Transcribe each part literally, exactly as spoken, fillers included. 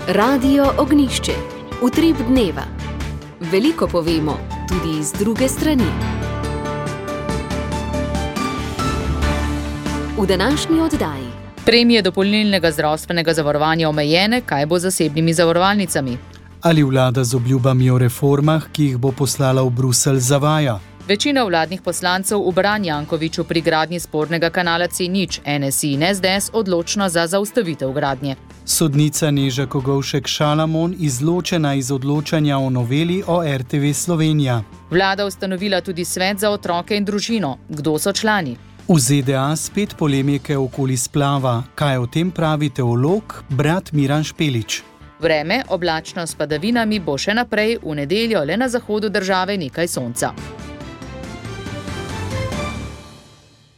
Radio Ognjišče. Utrip dneva. Veliko povemo, tudi iz druge strani. V današnji oddaji. Premije dopolnilnega zdravstvenega zavarovanja omejene, kaj bo z zasebnimi zavarovalnicami? Ali vlada z obljubami o reformah, ki jih bo poslala v Bruselj, zavaja? Večina vladnih poslancev v Bran Jankoviću pri gradnji spornega kanala C nič, N S I in S D S odločna za zaustavitev gradnje. Sodnica Neža Kogovšek Šalamon izločena iz odločanja o noveli o R T V Slovenija. Vlada ustanovila tudi svet za otroke in družino. Kdo so člani? V Z D A spet polemike okoli splava. Kaj o tem pravi teolog, brat Miran Špelič? Vreme, oblačno s padavinami, bo še naprej, v nedeljo le na zahodu države nekaj sonca.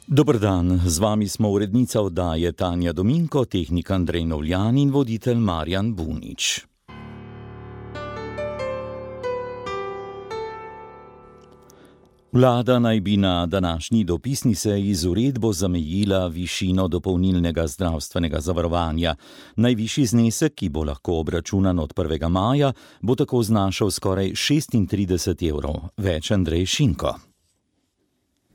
Dober dan, z vami smo urednica oddaje Tanja Dominko, tehnik Andrej Novljan in voditelj Marjan Bunič. Vlada naj bi na današnji dopisni seji z uredbo zamejila višino dopolnilnega zdravstvenega zavarovanja. Najvišji znesek, ki bo lahko obračunan od prvega maja, bo tako znašal skoraj šestintrideset evrov. Več Andrej Šinko.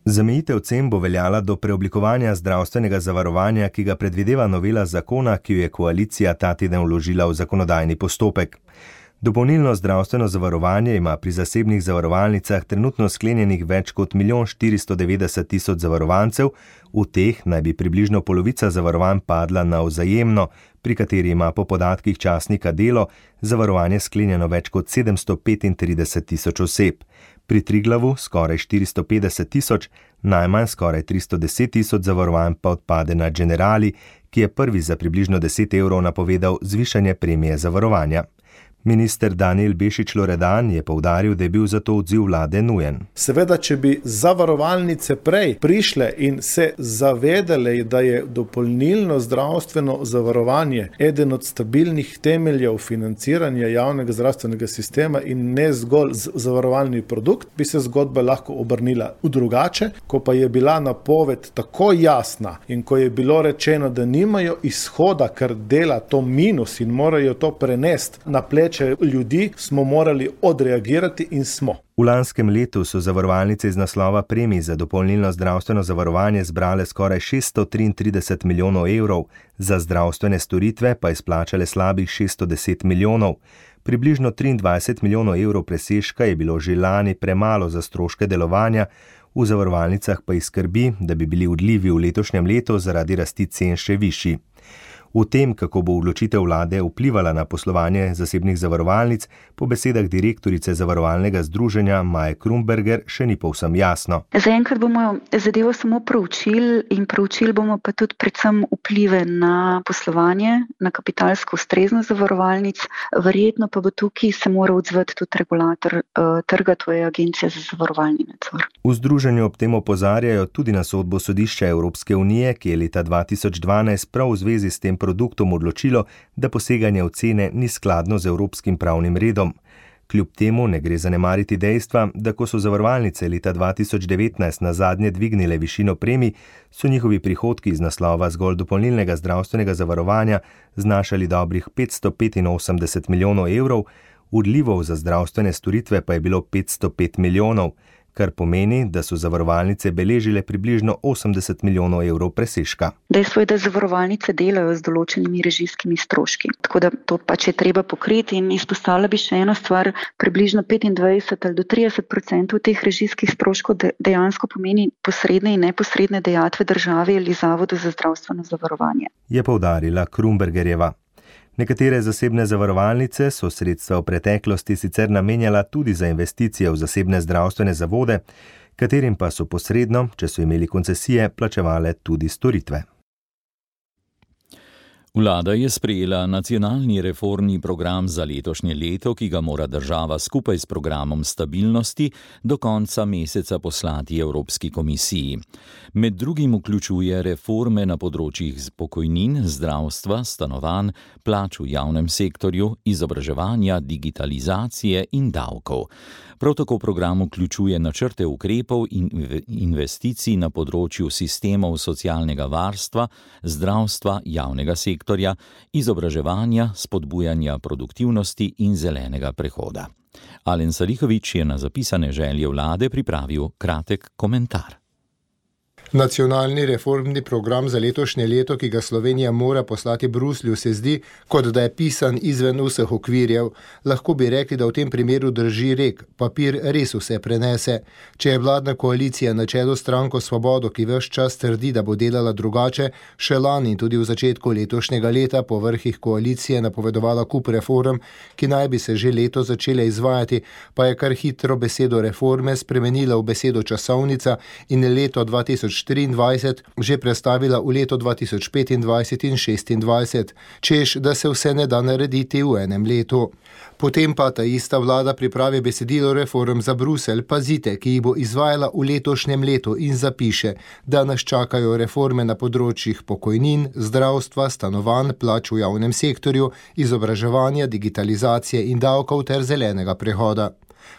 Zamejitev cen bo veljala do preoblikovanja zdravstvenega zavarovanja, ki ga predvideva novela zakona, ki jo je koalicija ta teden vložila v zakonodajni postopek. Dopolnilno zdravstveno zavarovanje ima pri zasebnih zavarovalnicah trenutno sklenjenih več kot milijon štiristo devetdeset tisoč zavarovancev, v teh naj bi približno polovica zavarovanj padla na Vzajemno, pri kateri ima po podatkih časnika Delo zavarovanje sklenjeno več kot sedemsto petintrideset tisoč oseb. Pri Triglavu skoraj štiristo petdeset tisoč, najmanj skoraj tristo deset tisoč zavarovanj pa odpade na Generali, ki je prvi za približno deset evrov napovedal zvišanje premije zavarovanja. Minister Danijel Bešič Loredan je poudaril, da je bil zato odziv vlade nujen. Seveda, če bi zavarovalnice prej prišle in se zavedale, da je dopolnilno zdravstveno zavarovanje eden od stabilnih temeljev financiranja javnega zdravstvenega sistema in ne zgolj zavarovalni produkt, bi se zgodba lahko obrnila v drugače. Ko pa je bila napoved tako jasna in ko je bilo rečeno, da nimajo izhoda, ker dela to minus in morajo to prenesti na pleč ljudi, smo morali odreagirati in smo. V lanskem letu so zavarovalnice iz naslova premij za dopolnilno zdravstveno zavarovanje zbrale skoraj šeststo triintrideset milijonov evrov, za zdravstvene storitve pa izplačale slabih šeststo deset milijonov. Približno triindvajset milijonov evrov presežka je bilo že lani premalo za stroške delovanja, v zavarovalnicah pa jih skrbi, da bi bili odlivi v letošnjem letu zaradi rasti cen še višji. V tem, kako bo odločitev vlade vplivala na poslovanje zasebnih zavarovalnic, po besedah direktorice zavarovalnega združenja Maje Krumberger še ni povsem jasno. Zaenkrat bomo zadevo samo proučili in proučili bomo pa tudi predvsem vplive na poslovanje, na kapitalsko ustreznost zavarovalnic. Verjetno pa bo tukaj se mora odzvati tudi regulator uh, trga, to je Agencija za zavarovalni nadzor. V združenju ob tem opozarjajo tudi na sodbo sodišča Evropske unije, ki je leta dva tisoč dvanajst prav v zvezi s tem produktom odločilo, da poseganje v cene ni skladno z evropskim pravnim redom. Kljub temu ne gre zanemariti dejstva, da ko so zavarovalnice leta dva tisoč devetnajst nazadnje dvignile višino premij, so njihovi prihodki iz naslova zgolj dopolnilnega zdravstvenega zavarovanja znašali dobrih petsto petinosemdeset milijonov evrov, odlivov za zdravstvene storitve pa je bilo petsto pet milijonov, kar pomeni, da so zavarovalnice beležile približno osemdeset milijonov evrov presežka. Dejstvo je, da zavarovalnice delajo z določenimi režijskimi stroški, tako da to pač je treba pokriti in izpostavila bi še eno stvar, približno petindvajset ali do trideset procentov teh režijskih stroškov dejansko pomeni posredne in neposredne dejatve države ali Zavodu za zdravstveno zavarovanje. Je poudarila Krumbergerjeva. Nekatere zasebne zavarovalnice so sredstva v preteklosti sicer namenjala tudi za investicije v zasebne zdravstvene zavode, katerim pa so posredno, če so imeli koncesije, plačevale tudi storitve. Vlada je sprejela nacionalni reformni program za letošnje leto, ki ga mora država skupaj s programom stabilnosti do konca meseca poslati Evropski komisiji. Med drugim vključuje reforme na področjih pokojnin, zdravstva, stanovanj, plač v javnem sektorju, izobraževanja, digitalizacije in davkov. Prav tako program vključuje načrte ukrepov in investicij na področju sistemov socialnega varstva, zdravstva, javnega sektorja sektorja, izobraževanja, spodbujanja produktivnosti in zelenega prehoda. Alen Salihović je na zapisane želje vlade pripravil kratek komentar. Nacionalni reformni program za letošnje leto, ki ga Slovenija mora poslati Bruslju, se zdi, kot da je pisan izven vseh okvirjev. Lahko bi rekli, da v tem primeru drži rek, papir res vse prenese. Če je vladna koalicija na čelu stranko Svobodo, ki ves čas trdi, da bo delala drugače, še lani in tudi v začetku letošnjega leta po vrhih koalicije napovedovala kup reform, ki naj bi se že leto začele izvajati, pa je kar hitro besedo reforme spremenila v besedo časovnica in leto dva tisoč štiriindvajset že prestavila v leto dva tisoč petindvajset in šestindvajset, češ, da se vse ne da narediti v enem letu. Potem pa ta ista vlada pripravi besedilo reform za Bruselj, pazite, ki jih bo izvajala v letošnjem letu in zapiše, da nas čakajo reforme na področjih pokojnin, zdravstva, stanovanj, plač v javnem sektorju, izobraževanja, digitalizacije in davkov ter zelenega prehoda.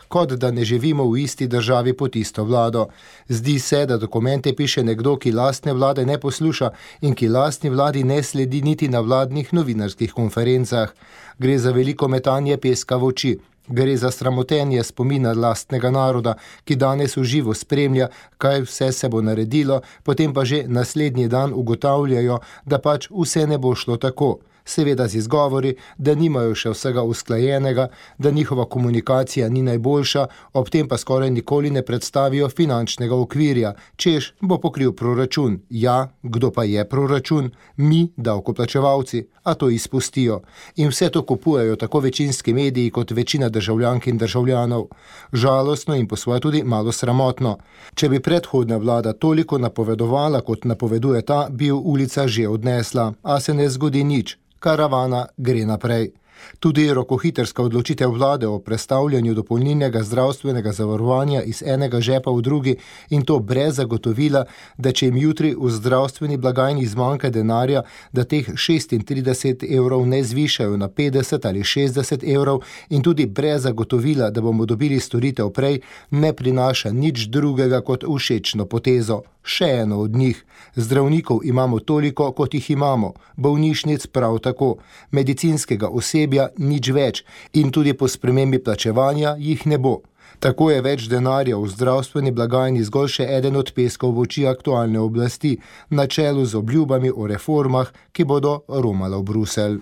Kot da ne živimo v isti državi pod isto vlado. Zdi se, da dokumente piše nekdo, ki lastne vlade ne posluša in ki lastni vladi ne sledi niti na vladnih novinarskih konferencah. Gre za veliko metanje peska v oči. Gre za sramotenje spomina lastnega naroda, ki danes v živo spremlja, kaj vse se bo naredilo, potem pa že naslednji dan ugotavljajo, da pač vse ne bo šlo tako. Seveda z izgovori, da nimajo še vsega usklajenega, da njihova komunikacija ni najboljša, ob tem pa skoraj nikoli ne predstavijo finančnega okvirja, češ bo pokril proračun. Ja, kdo pa je proračun? Mi, davkoplačevalci, a to izpustijo. In vse to kupujejo tako večinski mediji kot večina državljank in državljanov. Žalostno in po svoje tudi malo sramotno. Če bi predhodna vlada toliko napovedovala, kot napoveduje ta, bi v ulica že odnesla, a se ne zgodi nič. Karavana gre naprej. Tudi rokohitrska odločitev vlade o prestavljanju dopolnilnega zdravstvenega zavarovanja iz enega žepa v drugi in to brez zagotovila, da če jim jutri v zdravstveni blagajni zmanjka denarja, da teh šestintrideset evrov ne zvišajo na petdeset ali šestdeset evrov in tudi brez zagotovila, da bomo dobili storitev prej, ne prinaša nič drugega kot všečno potezo. Še eno od njih. Zdravnikov imamo toliko, kot jih imamo, bolnišnic prav tako, medicinskega osebja nič več in tudi po spremembi plačevanja jih ne bo. Tako je več denarja v zdravstveni blagajni zgolj še eden od peskov v oči aktualne oblasti, na čelu z obljubami o reformah, ki bodo romale v Bruselj.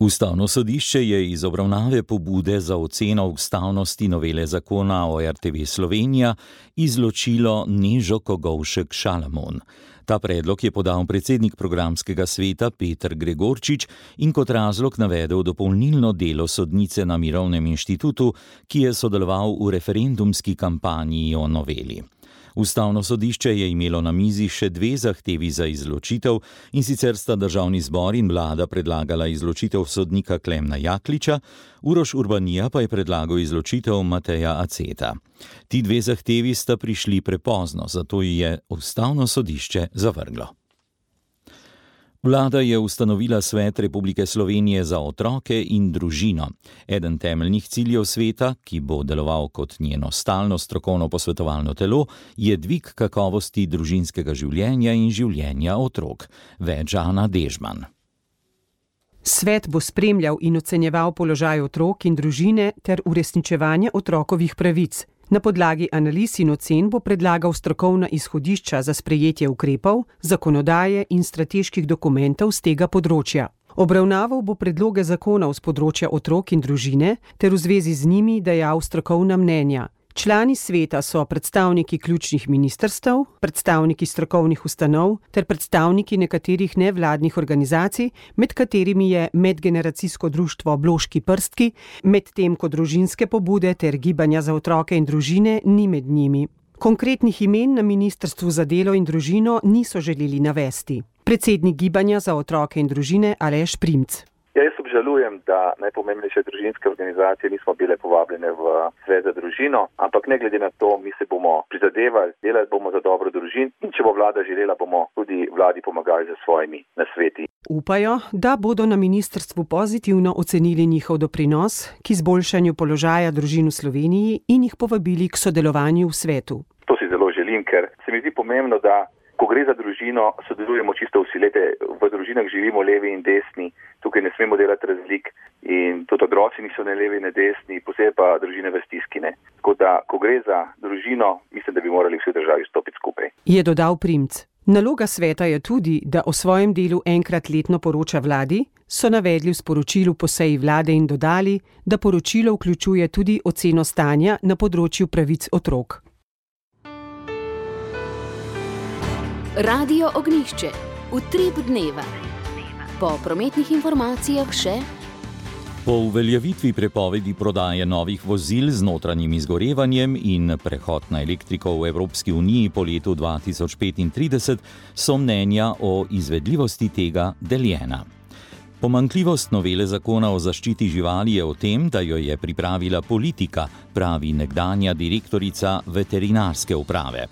Ustavno sodišče je iz obravnave pobude za oceno ustavnosti novele zakona o er te ve Slovenija izločilo Nežo Kogovšek Šalamon. Ta predlog je podal predsednik programskega sveta Peter Gregorčič in kot razlog navedel dopolnilno delo sodnice na Mirovnem inštitutu, ki je sodeloval v referendumski kampanji o noveli. Ustavno sodišče je imelo na mizi še dve zahtevi za izločitev, in sicer sta državni zbor in vlada predlagala izločitev sodnika Klemna Jakliča, Uroš Urbanija pa je predlagal izločitev Mateja Aceta. Ti dve zahtevi sta prišli prepozno, zato je Ustavno sodišče zavrglo. Vlada je ustanovila Svet Republike Slovenije za otroke in družino. Eden temeljnih ciljev sveta, ki bo deloval kot njeno stalno strokovno posvetovalno telo, je dvig kakovosti družinskega življenja in življenja otrok. Več Ana Dežman. Svet bo spremljal in ocenjeval položaj otrok in družine ter uresničevanje otrokovih pravic. Na podlagi analiz in ocen bo predlagal strokovna izhodišča za sprejetje ukrepov, zakonodaje in strateških dokumentov z tega področja. Obravnaval bo predloge zakonov z področja otrok in družine ter v zvezi z njimi dajal strokovna mnenja. Člani sveta so predstavniki ključnih ministrstev, predstavniki strokovnih ustanov ter predstavniki nekaterih nevladnih organizacij, med katerimi je medgeneracijsko društvo Bloški prstki, medtem ko družinske pobude ter gibanja za otroke in družine ni med njimi. Konkretnih imen na Ministrstvu za delo in družino niso želeli navesti. Predsednik gibanja za otroke in družine Aleš Primc. Ja, jaz obžalujem, da najpomembnejše družinske organizacije nismo bile povabljene v Svet za družino, ampak ne glede na to, mi se bomo prizadevali, delali bomo za dobro družin in če bo vlada želela, bomo tudi vladi pomagali za svojimi nasveti. Upajo, da bodo na ministrstvu pozitivno ocenili njihov doprinos k izboljšanju položaja družin v Sloveniji in jih povabili k sodelovanju v svetu. To si zelo želim, ker se mi zdi pomembno, da ko gre za družino, sodelujemo čisto vsi. Lete, v družinah živimo levi in desni, tukaj ne smemo delati razlik in tudi otroci niso ne levi ne desni, posebej pa družine v stiski. Ne. Tako da, ko gre za družino, mislim, da bi morali vsi državi stopiti skupaj. Je dodal Primc. Naloga sveta je tudi, da o svojem delu enkrat letno poroča vladi, so navedli v sporočilu po seji vlade in dodali, da poročilo vključuje tudi oceno stanja na področju pravic otrok. Radio Ognjišče. Utrip dneva. Po prometnih informacijah še. Po uveljavitvi prepovedi prodaje novih vozil z notranjim izgorevanjem in prehod na elektriko v Evropski uniji po letu dva tisoč petintrideset so mnenja o izvedljivosti tega deljena. Pomanjkljivost novele zakona o zaščiti živali je v tem, da jo je pripravila politika, pravi nekdanja direktorica veterinarske uprave.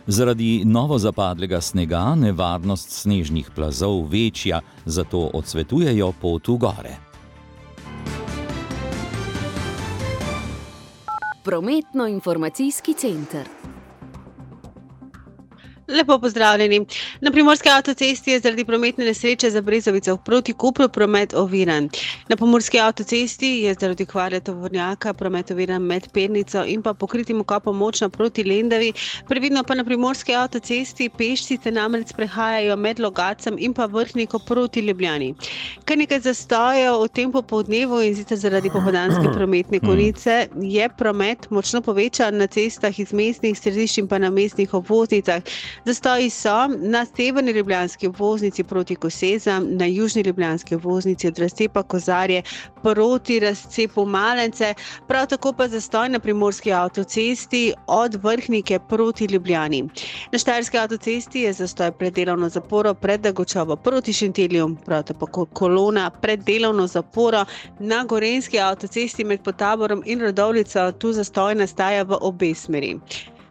Zaradi novo zapadlega snega nevarnost snežnih plazov večja, zato odsvetujejo pot v gore. Prometno-informacijski center. Lepo pozdravljeni. Na Primorski avtocesti je zaradi prometne nesreče za Brezovico proti Kopru promet oviran. Na Pomurski avtocesti je zaradi kvare tovornjaka promet oviran med Pernico in pa pokritim okopom Močno proti Lendavi. Previdno pa na Primorski avtocesti peščice namreč prehajajo med Logacem in pa Vrhniko proti Ljubljani. Kar nekaj zastojev v tem popoldnevu in sicer zaradi popoldanske prometne konice je promet močno povečan na cestah iz mestnih središč in pa na mestnih obvoznicah. Zastoji so na severni ljubljanski obvoznici proti Kosezam, na južni ljubljanski obvoznici od razcepa Kozarje proti razcepu Malence, prav tako pa zastoj na Primorski avtocesti od Vrhnike proti Ljubljani. Na Štajerski avtocesti je zastoj pred delovno zaporo pred Dagočovo proti Šentilju, prav tako kolona pred delovno zaporo na Gorenjski avtocesti med Potaborom in Radovljico, tu zastoj nastaja v obe smeri.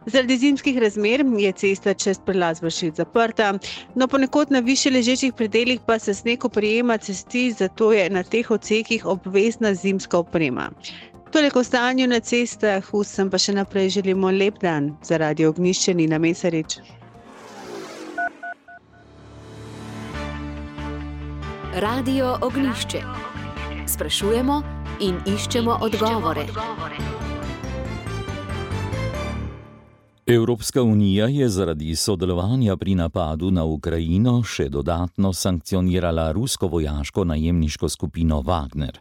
Zaradi zimskih razmer je cesta čez prelaz Vršič zaprta, no ponekod na više ležečih predelih pa se sneg oprijema cesti, zato je na teh odsekih obvezna zimska oprema. Toliko o stanju na cestah, vsem pa še naprej želimo lep dan. Za Radio Ognjišče Nina Mesarič. Radio Ognjišče. Sprašujemo in iščemo odgovore. Evropska unija je zaradi sodelovanja pri napadu na Ukrajino še dodatno sankcionirala rusko vojaško najemniško skupino Wagner.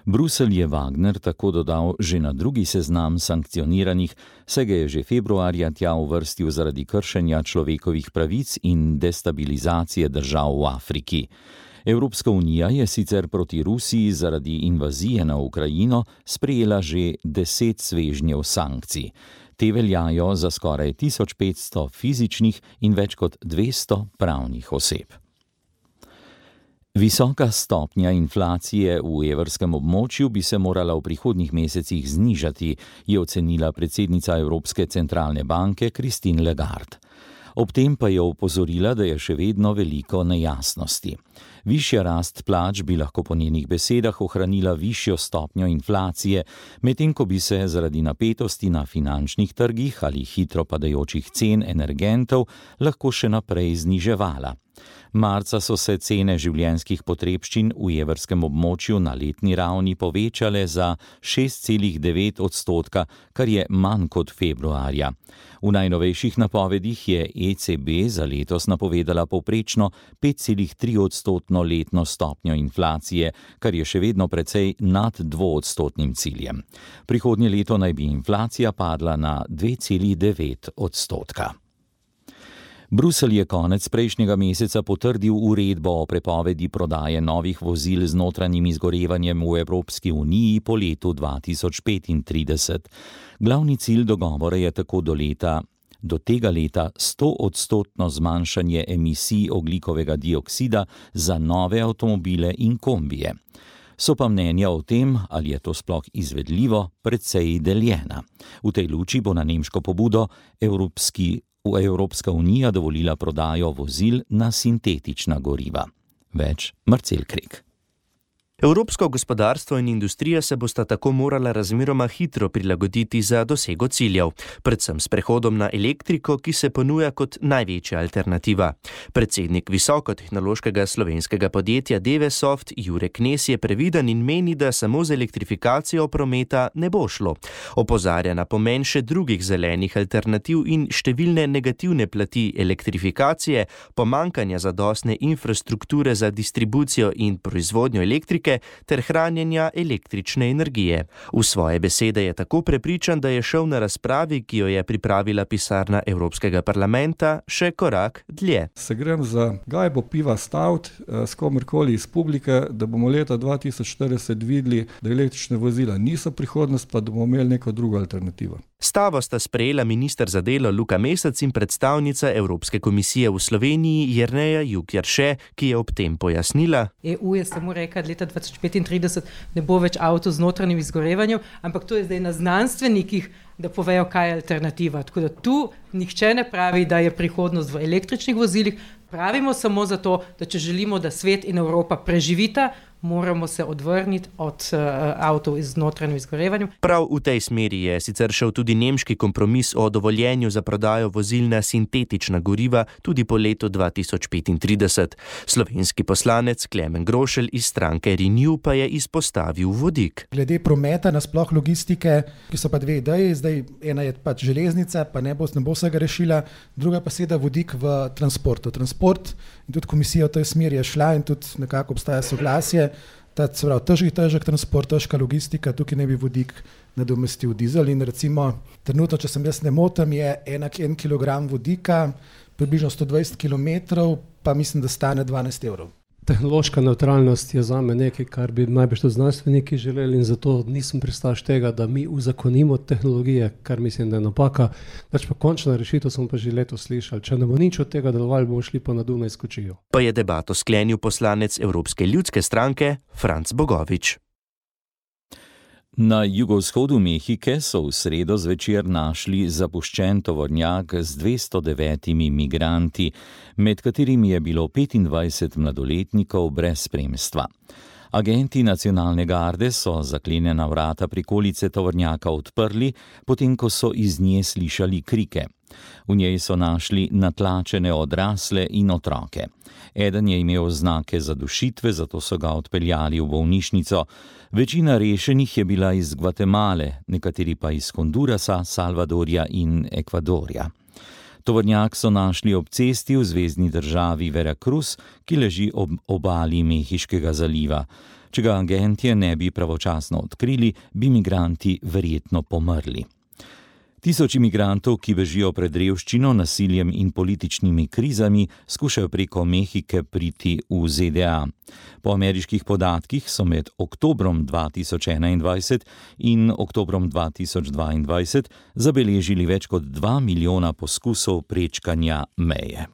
Bruselj je Wagner tako dodal že na drugi seznam sankcioniranih, saj ga je že februarja tja uvrstil zaradi kršenja človekovih pravic in destabilizacije držav v Afriki. Evropska unija je sicer proti Rusiji zaradi invazije na Ukrajino sprejela že deset svežnjev sankcij. Te veljajo za skoraj tisoč petsto fizičnih in več kot dvesto pravnih oseb. Visoka stopnja inflacije v evrskem območju bi se morala v prihodnjih mesecih znižati, je ocenila predsednica Evropske centralne banke Christine Lagarde. Ob tem pa je opozorila, da je še vedno veliko nejasnosti. Višja rast plač bi lahko po njenih besedah ohranila višjo stopnjo inflacije, medtem ko bi se zaradi napetosti na finančnih trgih ali hitro padajočih cen energentov lahko še naprej zniževala. Marca so se cene življenjskih potrebščin v evrskem območju na letni ravni povečale za šest celih devet odstotka, kar je manj kot februarja. V najnovejših napovedih je E C B za letos napovedala povprečno pet celih tri odstotno letno stopnjo inflacije, kar je še vedno precej nad dvoodstotnim ciljem. Prihodnje leto naj bi inflacija padla na dve celih devet odstotka. Bruselj je konec prejšnjega meseca potrdil uredbo o prepovedi prodaje novih vozil z notranjim izgorevanjem v Evropski uniji po letu dva tisoč petintrideset. Glavni cilj dogovora je tako do leta, do tega leta sto odstotno zmanjšanje emisij ogljikovega dioksida za nove avtomobile in kombije. So pa mnenja o tem, ali je to sploh izvedljivo, precej deljena. V tej luči bo na nemško pobudo Evropski Evropska unija dovolila prodajo vozil na sintetična goriva. Več Marcel Krek. Evropska unija je zaradi sodelovanja pri napadu na Ukrajino še dodatno sankcionirala rusko vojaško najemniško skupino Wagner. Evropska unija je zaradi sodelovanja pri napadu na Ukrajino še dodatno sankcionirala rusko vojaško najemniško skupino Wagner. Več Marcel Krek. Evropsko gospodarstvo in industrija se bosta tako morala razmeroma hitro prilagoditi za dosego ciljev, predvsem s prehodom na elektriko, ki se ponuja kot največja alternativa. Predsednik visokotehnološkega slovenskega podjetja Devesoft Jure Knez je previden in meni, da samo z elektrifikacijo prometa ne bo šlo. Opozarja na pomen še drugih zelenih alternativ in številne negativne plati elektrifikacije, pomankanja zadostne infrastrukture za distribucijo in proizvodnjo elektrike ter hranjenja električne energije. V svoje besede je tako prepričan, da je šel na razpravi, ki jo je pripravila pisarna Evropskega parlamenta, še korak dlje. Se grem za gajbo piva stavt s komorkoli iz publike, da bomo leta dva tisoč štirideset videli, da električne vozila niso prihodnost, pa da bomo imeli neko drugo alternativo. Stavo sta sprejela minister za delo Luka Mesec in predstavnica Evropske komisije v Sloveniji Jerneja Juk-Jarše, ki je ob tem pojasnila. E U je samo rekla, da leta dva tisoč petintrideset ne bo več avto z notranjim izgorevanjem, ampak to je zdaj na znanstvenikih, da povejo, kaj je alternativa. Tako da tu nihče ne pravi, da je prihodnost v električnih vozilih, pravimo samo zato, da če želimo, da svet in Evropa preživita, moramo se odvrniti od uh, avtov z notranjim izgorevanjem. Prav v tej smeri je sicer šel tudi nemški kompromis o dovoljenju za prodajo vozil na sintetična goriva tudi po letu dva tisoč petintrideset. Slovenski poslanec Klemen Grošelj iz stranke Renew pa je izpostavil vodik. Glede prometa, nasploh logistike, ki so pa dve ideji, zdaj ena je pač železnica, pa ne bo, ne bo vsega rešila, druga pa seveda vodik v transportu. Transport in tudi komisija v tej smeri je šla in tudi nekako obstaja soglasje. Ta, se pravi, težki, težek transport, težka logistika, tukaj ne bi vodik nadomestil dizel in recimo trenutno, če sem jaz ne motim, je enak en kilogram vodika, približno sto dvajset kilometrov, pa mislim, da stane dvanajst evrov. Tehnološka nevtralnost je zame nekaj, kar bi najbrž tudi znanstveniki želeli in zato nisem pristaš tega, da mi uzakonimo tehnologije, kar mislim, da je napaka. Dač pa končna rešitev smo pa že letos slišali. Če ne bo nič od tega delovali, bomo šli pa na Dunaj skočijo. Pa je debato sklenil poslanec Evropske ljudske stranke Franc Bogovič. Na jugovzhodu Mehike so v sredo zvečer našli zapuščen tovornjak z dvesto devetimi migranti, med katerimi je bilo petindvajset mladoletnikov brez spremstva. Agenti nacionalne garde so zaklenjena vrata prikolice tovornjaka odprli, potem ko so iz nje slišali krike. V njej so našli natlačene odrasle in otroke. Eden je imel znake zadušitve, zato so ga odpeljali v bolnišnico. Večina rešenih je bila iz Gvatemale, nekateri pa iz Hondurasa, Salvadorja in Ekvadorja. Tovornjak so našli ob cesti v zvezni državi Veracruz, ki leži ob obali Mehiškega zaliva. Če ga agentje ne bi pravočasno odkrili, bi migranti verjetno pomrli. Tisoči migrantov, ki bežijo pred revščino, nasiljem in političnimi krizami, skušajo preko Mehike priti v Z D A. Po ameriških podatkih so med oktobrom dva tisoč enaindvajset in oktobrom dva tisoč dvaindvajset zabeležili več kot dva milijona poskusov prečkanja meje.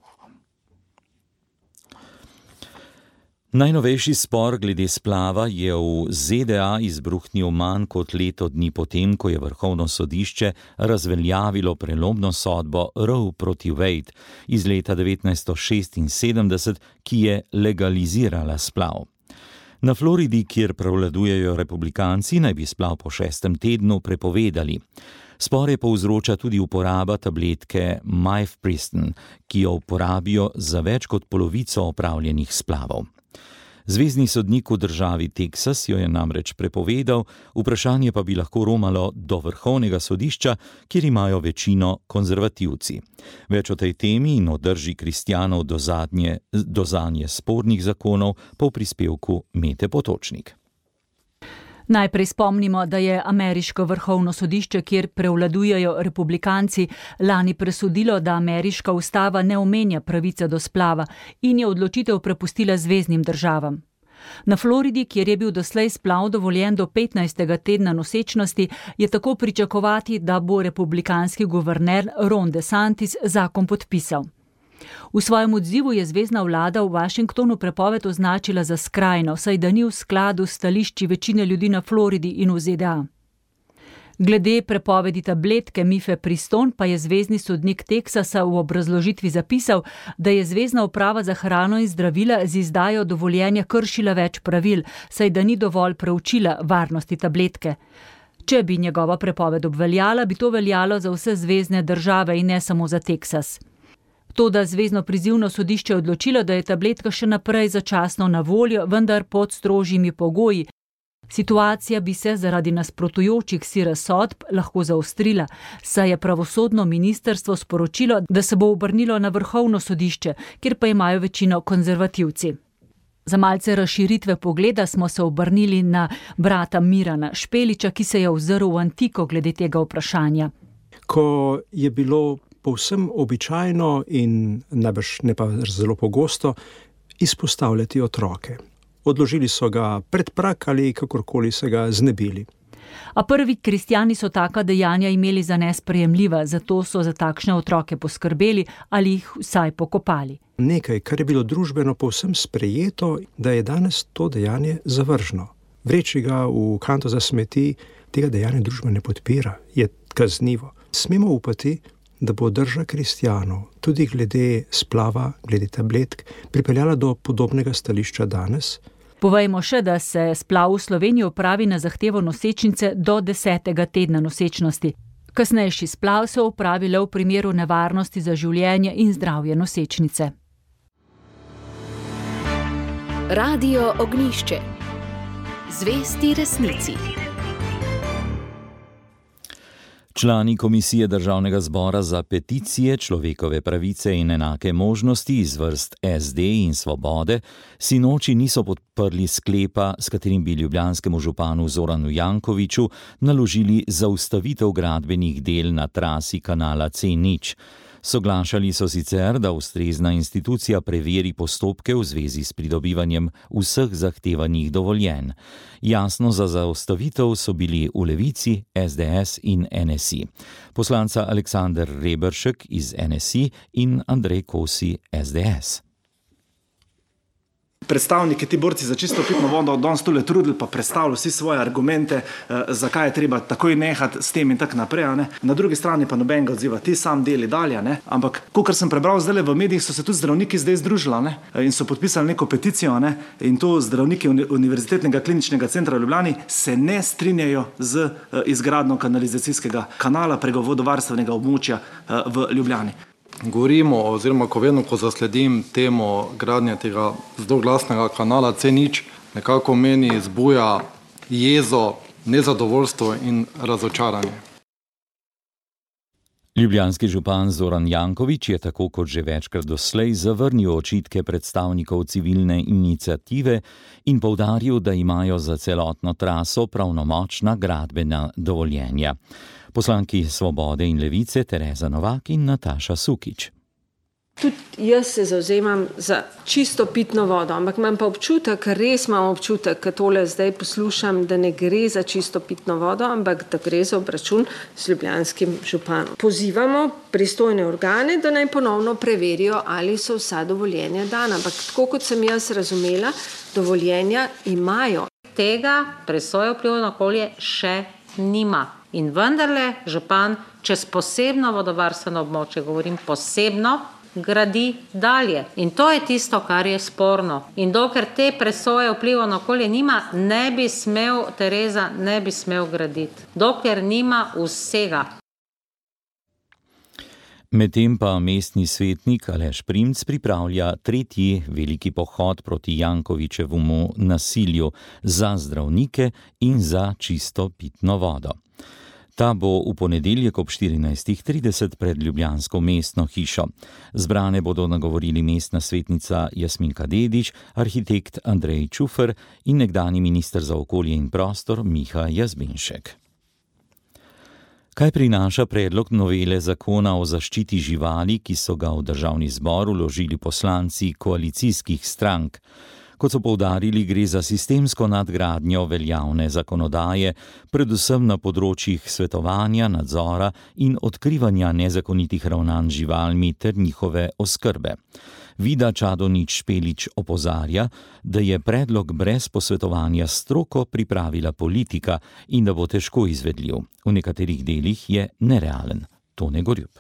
Najnovejši spor glede splava je v Z D A izbruhnil manj kot leto dni potem, ko je Vrhovno sodišče razveljavilo prelomno sodbo Roe proti Wade iz leta devetnajststo šestinsedemdeset, ki je legalizirala splav. Na Floridi, kjer prevladujejo republikanci, naj bi splav po šestem tednu prepovedali. Spore povzroča tudi uporaba tabletke Mifepriston, ki jo uporabijo za več kot polovico opravljenih splavov. Zvezni sodnik v državi Teksas jo je namreč prepovedal, vprašanje pa bi lahko romalo do Vrhovnega sodišča, kjer imajo večino konzervativci. Več o tej temi in o drži kristjanov do, zadnje, do zanje spornih zakonov po prispevku Mete Potočnik. Najprej spomnimo, da je ameriško vrhovno sodišče, kjer prevladujejo republikanci, lani presodilo, da ameriška ustava ne omenja pravice do splava in je odločitev prepustila zveznim državam. Na Floridi, kjer je bil doslej splav dovoljen do petnajstega tedna nosečnosti, je tako pričakovati, da bo republikanski guverner Ron DeSantis zakon podpisal. V svojem odzivu je zvezna vlada v Washingtonu prepoved označila za skrajno, saj da ni v skladu s stališči večine ljudi na Floridi in v Z D A. Glede prepovedi tabletke Mifepriston pa je zvezni sodnik Teksasa v obrazložitvi zapisal, da je zvezna uprava za hrano in zdravila z izdajo dovoljenja kršila več pravil, saj da ni dovolj preučila varnosti tabletke. Če bi njegova prepoved obveljala, bi to veljalo za vse zvezne države in ne samo za Teksas. Toda zvezno prizivno sodišče je odločilo, da je tabletka še naprej začasno na voljo, vendar pod strožjimi pogoji. Situacija bi se zaradi nasprotujočih si razsodb lahko zaostrila, saj je pravosodno ministrstvo sporočilo, da se bo obrnilo na vrhovno sodišče, kjer pa imajo večino konzervativci. Za malce razširitve pogleda smo se obrnili na brata Mirana Špeliča, ki se je ozrl v antiko glede tega vprašanja. Ko je bilo povsem običajno in najbrž ne pa zelo pogosto izpostavljati otroke. Odložili so ga pred prak ali kakorkoli se ga znebili. A prvi kristjani so taka dejanja imeli za nesprejemljiva, zato so za takšne otroke poskrbeli ali jih vsaj pokopali. Nekaj, kar je bilo družbeno povsem sprejeto, da je danes to dejanje zavržno. Vreči ga v kanto za smeti, tega dejanja družba ne podpira, je kaznivo. Smemo upati, da bo drža kristjanov tudi glede splava, glede tabletk, pripeljala do podobnega stališča danes. Povejmo še, da se splav v Sloveniji opravi na zahtevo nosečnice do desetega tedna nosečnosti. Kasnejši splav se opravi le v primeru nevarnosti za življenje in zdravje nosečnice. Radio Ognjišče. Zvesti resnici. Člani Komisije Državnega zbora za peticije, človekove pravice in enake možnosti iz vrst S D in Svobode sinoči niso podprli sklepa, s katerim bi ljubljanskemu županu Zoranu Jankoviću naložili zaustavitev gradbenih del na trasi kanala C nič. Soglašali so sicer, da ustrezna institucija preveri postopke v zvezi s pridobivanjem vseh zahtevanih dovoljenj. Jasno za zaustavitev so bili v Levici, S D S in N S I. Poslanca Aleksander Reberšek iz N S I in Andrej Kosi S D S. Predstavniki, ti borci za čisto pitno vodo, danes tule trudili pa predstavili vsi svoje argumente, eh, zakaj je treba takoj nehati s tem in tak naprej. Ne? Na drugi strani pa nobenega odziva, ti sam deli dalje. Ne? Ampak, kakor sem prebral zdaj v medijih, so se tudi zdravniki zdaj združili, ne? In so podpisali neko peticijo, ne? In to zdravniki Univerzitetnega kliničnega centra v Ljubljani se ne strinjajo z eh, izgradnjo kanalizacijskega kanala preko vodovarstvenega območja eh, v Ljubljani. Govorimo, oziroma ko vedno, ko zasledim temo gradnje tega zloglasnega kanala C nič, nekako meni zbuja jezo, nezadovoljstvo in razočaranje. Ljubljanski župan Zoran Janković je tako kot že večkrat doslej zavrnil očitke predstavnikov civilne iniciative in poudaril, da imajo za celotno traso pravnomočna gradbena dovoljenja. Poslanki Svobode in Levice Tereza Novak in Nataša Sukič. Tudi jaz se zavzemam za čisto pitno vodo, ampak imam pa občutek, res imam občutek, ker tole zdaj poslušam, da ne gre za čisto pitno vodo, ampak da gre za obračun z ljubljanskim županom. Pozivamo pristojne organe, da naj ponovno preverijo, ali so vsa dovoljenja dana, ampak tako kot sem jaz razumela, dovoljenja imajo. Tega presoje vplivov na okolje še nima. In vendarle župan čez posebno vodovarstveno območje, govorim posebno, gradi dalje. In to je tisto, kar je sporno. In dokler te presoje vplivov na okolje nima, ne bi smel, Tereza, ne bi smel graditi. Dokler nima vsega. Medtem pa mestni svetnik Aleš Primc pripravlja tretji veliki pohod proti Jankovićevemu nasilju za zdravnike in za čisto pitno vodo. Ta bo v ponedeljek ob štirinajstih trideset pred ljubljansko mestno hišo. Zbrane bodo nagovorili mestna svetnica Jasminka Dedić, arhitekt Andrej Čufer in nekdanji minister za okolje in prostor Miha Jazbinšek. Kaj prinaša predlog novele zakona o zaščiti živali, ki so ga v državni zbor vložili poslanci koalicijskih strank? Kot so poudarili, gre za sistemsko nadgradnjo veljavne zakonodaje, predvsem na področjih svetovanja, nadzora in odkrivanja nezakonitih ravnanj z živalmi ter njihove oskrbe. Vida Čadonič-Špelič opozarja, da je predlog brez posvetovanja s stroko pripravila politika in da bo težko izvedljiv. V nekaterih delih je nerealen. Tone Gorjup.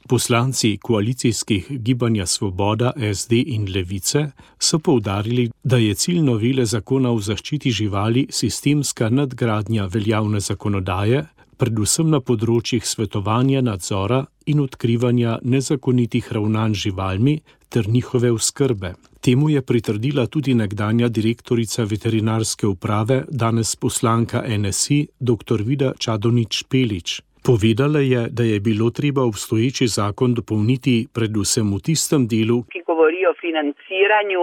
Poslanci koalicijskih gibanja Svoboda, S D in Levice so poudarili, da je cilj novele zakona o zaščiti živali sistemska nadgradnja veljavne zakonodaje, predvsem na področjih svetovanja, nadzora in odkrivanja nezakonitih ravnanj z živalmi ter njihove oskrbe. Temu je pritrdila tudi nekdanja direktorica veterinarske uprave, danes poslanka N S I, dr. Vida Čadonič-Špelič. Povedala je, da je bilo treba obstoječi zakon dopolniti predvsem v tistem delu, ki govori o financiranju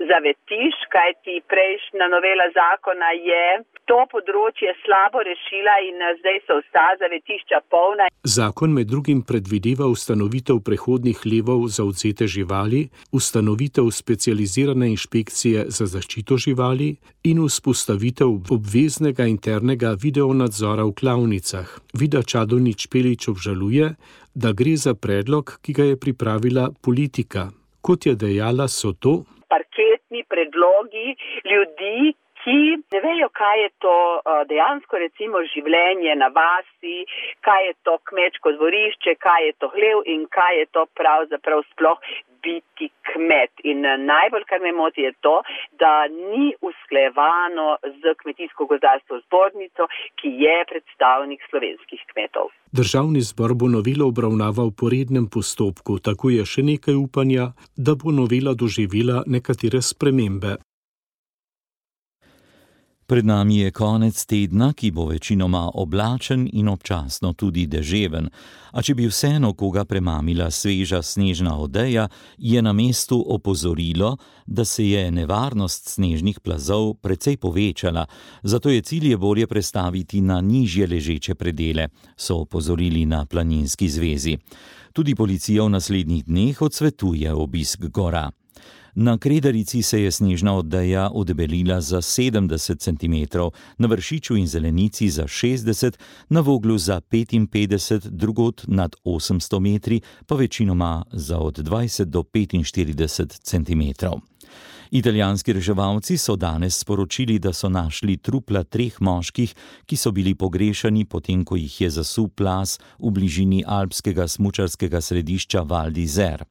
zavetišč, kajti prejšnja novela zakona je to področje slabo rešila in zdaj so vsa zavetišča polna. Zakon med drugim predvideva ustanovitev prehodnih levov za odvzete živali, ustanovitev specializirane inšpekcije za zaščito živali in vzpostavitev obveznega internega videonadzora v klavnicah. Vida Čadonič-Špelič obžaluje, da gre za predlog, ki ga je pripravila politika. Kot je dejala, so to parketni predlogi ljudi, ki ne vejo, kaj je to dejansko recimo življenje na vasi, kaj je to kmečko dvorišče, kaj je to hlev in kaj je to pravzaprav sploh biti kmet. In najbolj, kar me moti, je to, da ni usklajevano z Kmetijsko-gozdarsko zbornico, ki je predstavnik slovenskih kmetov. Državni zbor bo novelo obravnaval po rednem postopku, tako je še nekaj upanja, da bo novela doživela nekatere spremembe. Pred nami je konec tedna, ki bo večinoma oblačen in občasno tudi deževen. A če bi vseeno koga premamila sveža snežna odeja, je na mestu opozorilo, da se je nevarnost snežnih plazov precej povečala, zato je cilje bolje prestaviti na nižje ležeče predele, so opozorili na Planinski zvezi. Tudi policija v naslednjih dneh odsvetuje obisk gora. Na Kredarici se je snežna odeja odebelila za sedemdeset centimetrov, na Vršiču in Zelenici za šestdeset, na Voglu za petinpetdeset, drugod nad osemsto metri, pa večinoma za od dvajset do petinštirideset centimetrov. Italijanski reševalci so danes sporočili, da so našli trupla treh moških, ki so bili pogrešani potem, ko jih je zasul plaz v bližini alpskega smučarskega središča Val d'Isère.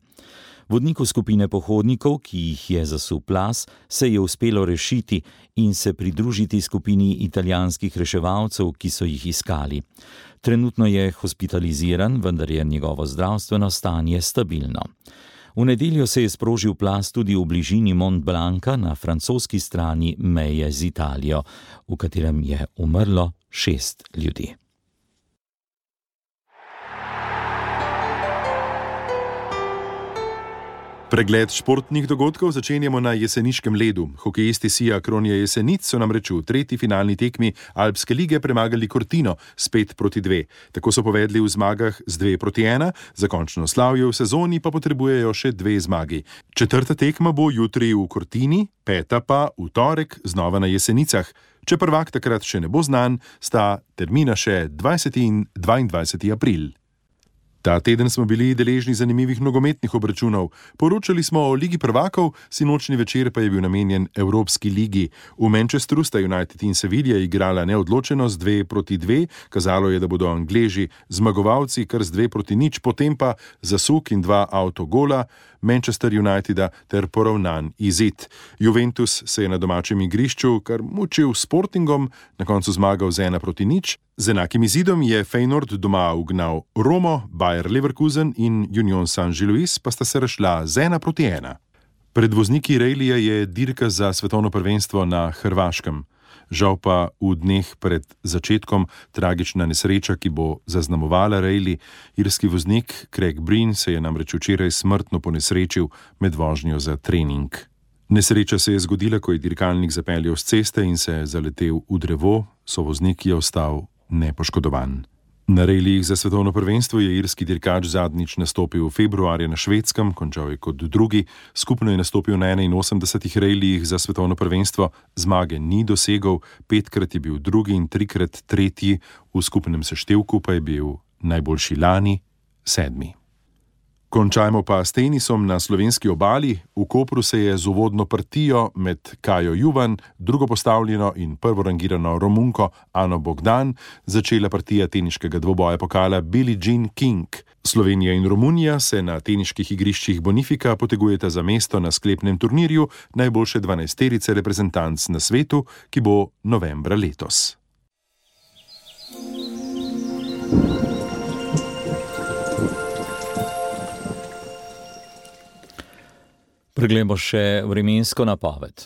Vodniku skupine pohodnikov, ki jih je zasul plaz, se je uspelo rešiti in se pridružiti skupini italijanskih reševalcev, ki so jih iskali. Trenutno je hospitaliziran, vendar je njegovo zdravstveno stanje stabilno. V nedeljo se je sprožil plaz tudi v bližini Mont Blanca na francoski strani meje z Italijo, v katerem je umrlo šest ljudi. Pregled športnih dogodkov začenjamo na jeseniškem ledu. Hokejisti Sija Kronje Jesenic so namreč v tretji finalni tekmi Alpske lige premagali Cortino s pet proti dve. Tako so povedli v zmagah z dve proti ena, za končno slavje v sezoni pa potrebujejo še dve zmagi. Četrta tekma bo jutri v Cortini, peta pa v torek znova na Jesenicah. Če prvak takrat še ne bo znan, sta termina še dvajseti in dvaindvajseti april. Ta teden smo bili deležni zanimivih nogometnih obračunov. Poročali smo o Ligi prvakov, sinočni večer pa je bil namenjen Evropski ligi. V Manchesteru sta United in Sevilla igrala neodločeno z dve proti dve, kazalo je, da bodo Angleži zmagovalci kar z dve proti nič, potem pa zasuk in dva avtogola Manchester Uniteda ter poravnan izid. Juventus se je na domačem igrišču kar mučil s Sportingom, na koncu zmagal z ena proti nič. Z enakim izidom je Feyenoord doma ugnal Romo, Bayer Leverkusen in Union Saint-Gilloise pa sta se razšla z ena proti ena. Pred vozniki rejlija je dirka za svetovno prvenstvo na Hrvaškem. Žal pa v dneh pred začetkom tragična nesreča, ki bo zaznamovala rejli. Irski voznik Craig Breen se je namreč včeraj smrtno ponesrečil med vožnjo za trening. Nesreča se je zgodila, ko je dirkalnik zapeljal s ceste in se zaletel v drevo, sovoznik je ostal nepoškodovan. Na rejlijih za svetovno prvenstvo je irski dirkač zadnjič nastopil februarja na Švedskem, končal je kot drugi, skupno je nastopil na enainosemdesetih rejlijih za svetovno prvenstvo, zmage ni dosegel, petkrat je bil drugi in trikrat tretji, v skupnem seštevku pa je bil najboljši lani sedmi. Končajmo pa s tenisom na slovenski obali. V Kopru se je z uvodno partijo med Kajo Juvan, drugo postavljeno in prvorangirano Romunko Ano Bogdan začela partija teniškega dvoboja pokala Billie Jean King. Slovenija in Romunija se na teniških igriščih Bonifika potegujeta za mesto na sklepnem turnirju najboljše dvanajsterice reprezentanc na svetu, ki bo novembra letos. Preglejmo še vremensko napoved.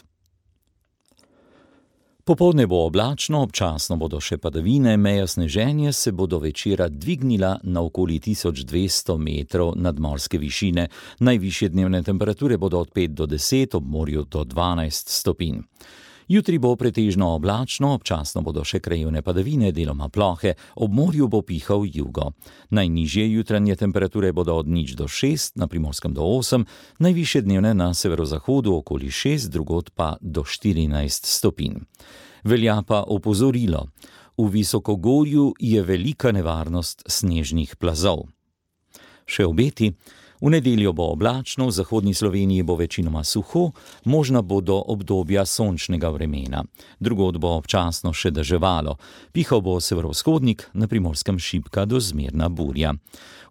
Popoldne bo oblačno, občasno bodo še padavine, meja sneženja se bo do večera dvignila na okoli tisoč dvesto metrov nadmorske višine. Najvišje dnevne temperature bodo od pet do deset, ob morju do dvanajst stopinj. Jutri bo pretežno oblačno, občasno bodo še krajevne padavine, deloma plohe, ob morju bo pihal jugo. Najnižje jutranje temperature bodo od nič do šest, na Primorskem do osem, najvišje dnevne na severozahodu okoli šest, drugod pa do štirinajst stopinj. Velja pa opozorilo, v visokogorju je velika nevarnost snežnih plazov. Še obeti. V nedeljo bo oblačno, v zahodni Sloveniji bo večinoma suho, možna bodo obdobja sončnega vremena. Drugod bo občasno še deževalo. Pihal bo severovzhodnik, na Primorskem šibka do zmerna burja.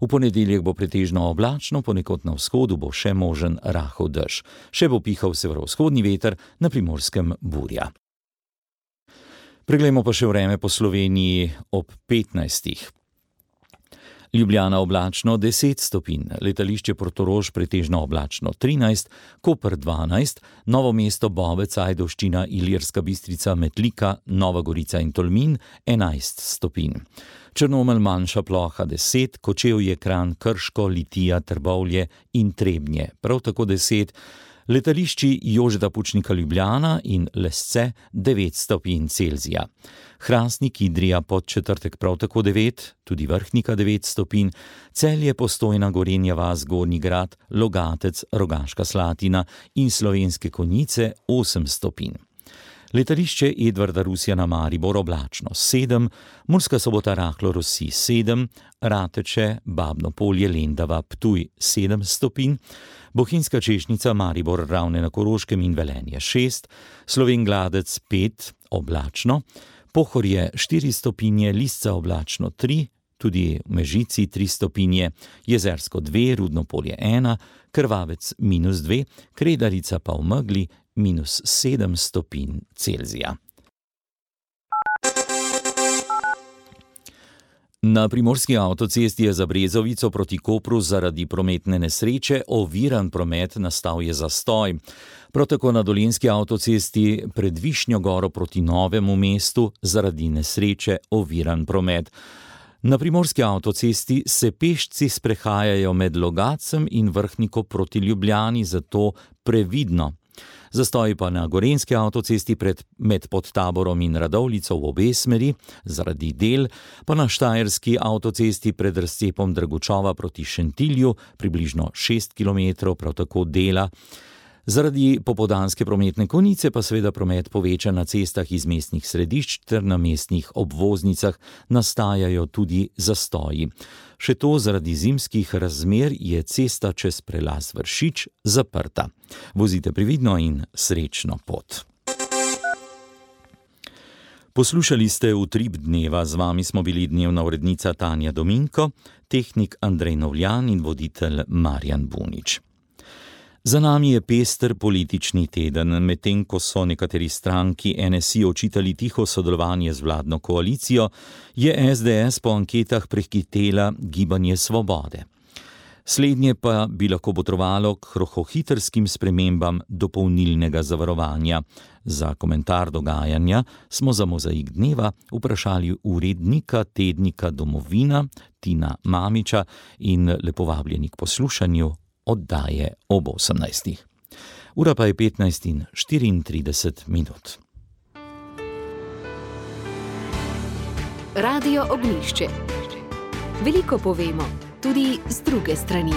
V ponedeljek bo pretežno oblačno, ponekod na vzhodu bo še možen rahel dež. Še bo pihal severovzhodni veter, na Primorskem burja. Preglejmo pa še vreme po Sloveniji ob petnajstih. Ljubljana oblačno deset stopinj, letališče Portorož pretežno oblačno trinajst, Koper dvanajst, Novo mesto, Bovec, Ajdovščina, Ilirska Bistrica, Metlika, Nova Gorica in Tolmin enajst stopinj. Črnomelj manjša ploha deset, Kočevje, Kranj, Krško, Litija, Trbovlje in Trebnje prav tako deset, letališči Jožeta Pučnika Ljubljana in Lesce devet stopinj Celzija. Hrastnik, Idrija, Podčetrtek prav tako devet, tudi Vrhnika devet stopinj, Celje, Postojna, Gorenja vas, Gornji Grad, Logatec, Rogaška Slatina in Slovenske Konjice osem stopinj. Letališče Edvarda Rusjana Maribor oblačno sedem, Murska Sobota rahlo rosi sedem, Rateče, Babno Polje, Lendava, Ptuj sedem stopinj, Bohinjska Češnica, Maribor, Ravne na Koroškem in Velenje šest, Slovenj Gladec pet, oblačno, Pohorje štiri stopinje, Lisca oblačno tri, tudi v Mežici tri stopinje, Jezersko dve, Rudno Polje ena, Krvavec minus dve, Kredarica pa v megli minus sedem stopinj Celzija. Na primorski avtocesti je za Brezovico proti Kopru zaradi prometne nesreče oviran promet, nastal je zastoj. Prav tako na dolenjski avtocesti pred Višnjo Goro proti Novemu mestu zaradi nesreče oviran promet. Na primorski avtocesti se pešci sprehajajo med Logacem in Vrhniko proti Ljubljani, zato previdno. Zastoji pa na gorenjski avtocesti pred, med Podtaborom in Radovljico v obe smeri, zaradi del, pa na štajerski avtocesti pred razcepom Dragučova proti Šentilju, približno šest kilometrov, prav tako dela. Zaradi popoldanske prometne konice pa seveda promet poveča na cestah iz mestnih središč ter na mestnih obvoznicah, nastajajo tudi zastoji. Še to zaradi zimskih razmer je cesta čez prelaz Vršič zaprta. Vozite previdno in srečno pot. Poslušali ste Utrip dneva, z vami smo bili dnevna urednica Tanja Dominko, tehnik Andrej Novljan in voditelj Marjan Bunič. Za nami je pester politični teden, medtem ko so nekateri stranki N S I očitali tiho sodelovanje z vladno koalicijo, je S D S po anketah prehitela Gibanje Svobode. Slednje pa bi lahko botrovalo k rokohitrskim spremembam dopolnilnega zavarovanja. Za komentar dogajanja smo za Mozaik dneva vprašali urednika tednika Domovina Tina Mamiča in lepo vabljeni k poslušanju oddaje ob osemnajstih. Ura pa je petnajst in štiriintrideset minut. Radio Ognjišče. Veliko povemo, tudi z druge strani.